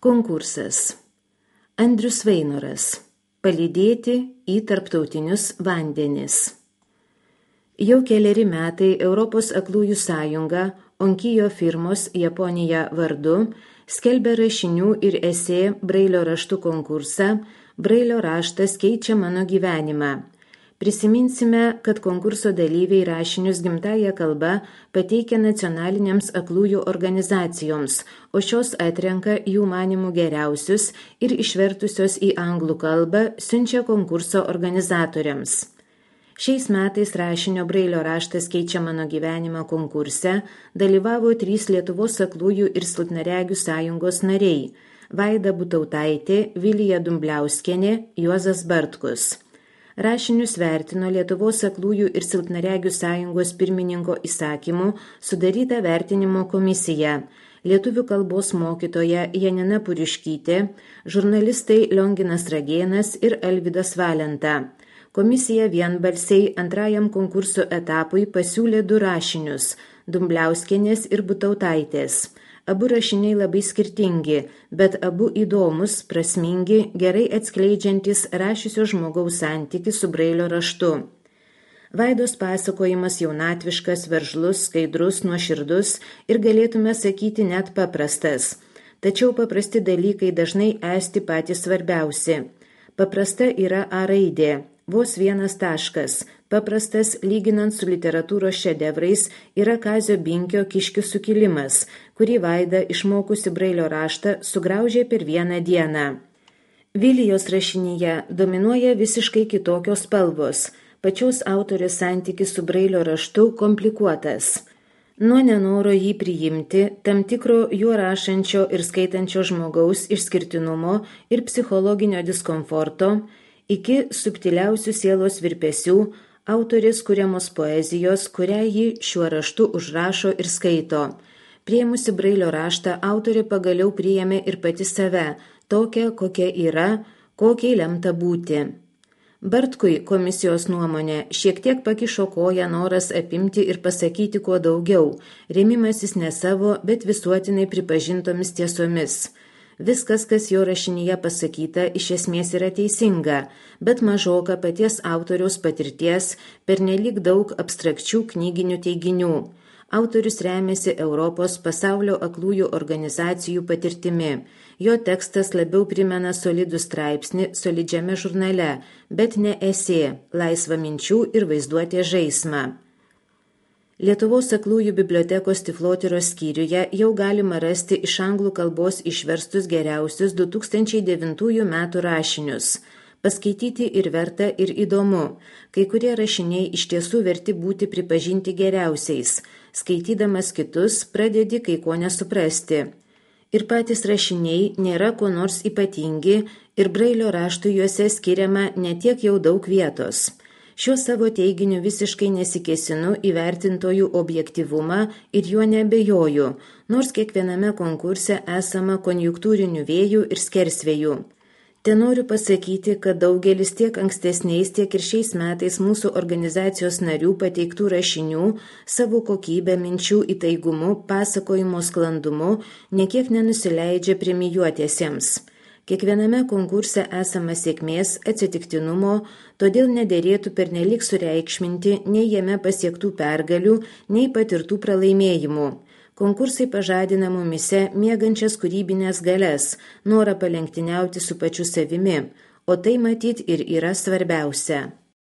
Konkursas. Andrius Vainoras. Palydėti į tarptautinius vandenis. Jau keleri metai Europos aklųjų sąjunga Onkijo firmos Japonija vardu skelbia rašinių ir esė Brailio raštų konkursą Brailio raštas keičia mano gyvenimą. Prisiminsime, kad konkurso dalyviai rašinius gimtąja kalba pateikia nacionalinėms aklųjų organizacijoms, o šios atrenka jų manimų geriausius ir išvertusios į anglų kalbą siunčia konkurso organizatoriams. Šiais metais rašinio Brailio raštas keičia mano gyvenimą konkurse dalyvavo 3 Lietuvos aklųjų ir silpnaregių sąjungos nariai – Vaida Butautaitė, Vilija Dumbliauskienė, Juozas Bartkus. Rašinius vertino Lietuvos aklųjų ir silpnaregių sąjungos pirmininko įsakymu sudaryta vertinimo komisija, lietuvių kalbos mokytoja Janina Puriškytė, žurnalistai Lionginas Ragėnas ir Alvydas Valenta. Komisija vienbalsiai antrajam konkurso etapui pasiūlė 2 rašinius – Dumbliauskienės ir Butautaitės. Abu rašiniai labai skirtingi, bet abu įdomus, prasmingi, gerai atskleidžiantis rašiusio žmogaus santykį su Brailio raštu. Vaidos pasakojimas jaunatviškas, veržlus, skaidrus, nuoširdus ir galėtume sakyti net paprastas. Tačiau paprasti dalykai dažnai esti patys svarbiausi. Paprasta yra A raidė, vos 1 taškas. Paprastas, lyginant su literatūros šedevrais, yra Kazio Binkio Kiškių sukilimas, kurį Vaida, išmokusi Brailio raštą, sugraužė per 1 dieną. Vilijos rašinyje dominuoja visiškai kitokios spalvos. Pačios autorės santykis su Brailio raštu komplikuotas. Nuo nenoro jį priimti, tam tikro juo rašančio ir skaitančio žmogaus išskirtinumo ir psichologinio diskomforto, iki subtiliausių sielos virpesių, autorės kuriamos poezijos, kurią ji šiuo raštu užrašo ir skaito. Priėmusi Brailio raštą, autorė pagaliau priėmė ir pati save, tokią, kokia yra, kokiai lemta būti. Bartkui komisijos nuomonė šiek tiek pakišo koją noras apimti ir pasakyti kuo daugiau, rėmimasis ne savo, bet visuotinai pripažintomis tiesomis. Viskas, kas jo rašinyje pasakyta, iš esmės yra teisinga, bet mažoka paties autoriaus patirties, pernelyg daug abstrakčių knyginių teiginių. Autorius remiasi Europos pasaulio aklųjų organizacijų patirtimi. Jo tekstas labiau primena solidų straipsnį solidžiame žurnale, bet ne esė, laisvą minčių ir vaizduotės žaismą. Lietuvos aklųjų bibliotekos Tiflotyros skyriuje jau galima rasti iš anglų kalbos išverstus geriausius 2009 metų rašinius. Paskaityti ir verta, ir įdomu. Kai kurie rašiniai iš tiesų verti būti pripažinti geriausiais. Skaitydamas kitus, pradedi kai ko nesuprasti. Ir patys rašiniai nėra kuo nors ypatingi ir Brailio raštui juose skiriama netiek jau daug vietos. Šiuo savo teiginiu visiškai nesikėsinu į vertintojų objektyvumą ir juo neabejoju, nors kiekviename konkurse esama konjunktūrinių vėjų ir skersvėjų. Tenoriu pasakyti, kad daugelis tiek ankstesniais, tiek ir šiais metais mūsų organizacijos narių pateiktų rašinių savo kokybę, minčių įtaigumu, pasakojimo sklandumu nekiek nenusileidžia premijuotiesiems. Kiekviename konkurse esama sėkmės, atsitiktinumo, todėl nederėtų pernelyg sureikšminti nei jame pasiektų pergalių, nei patirtų pralaimėjimų. Konkursai pažadina mumyse miegančias kūrybinės galias, norą palenktyniauti su pačiu savimi, o tai matyt ir yra svarbiausia.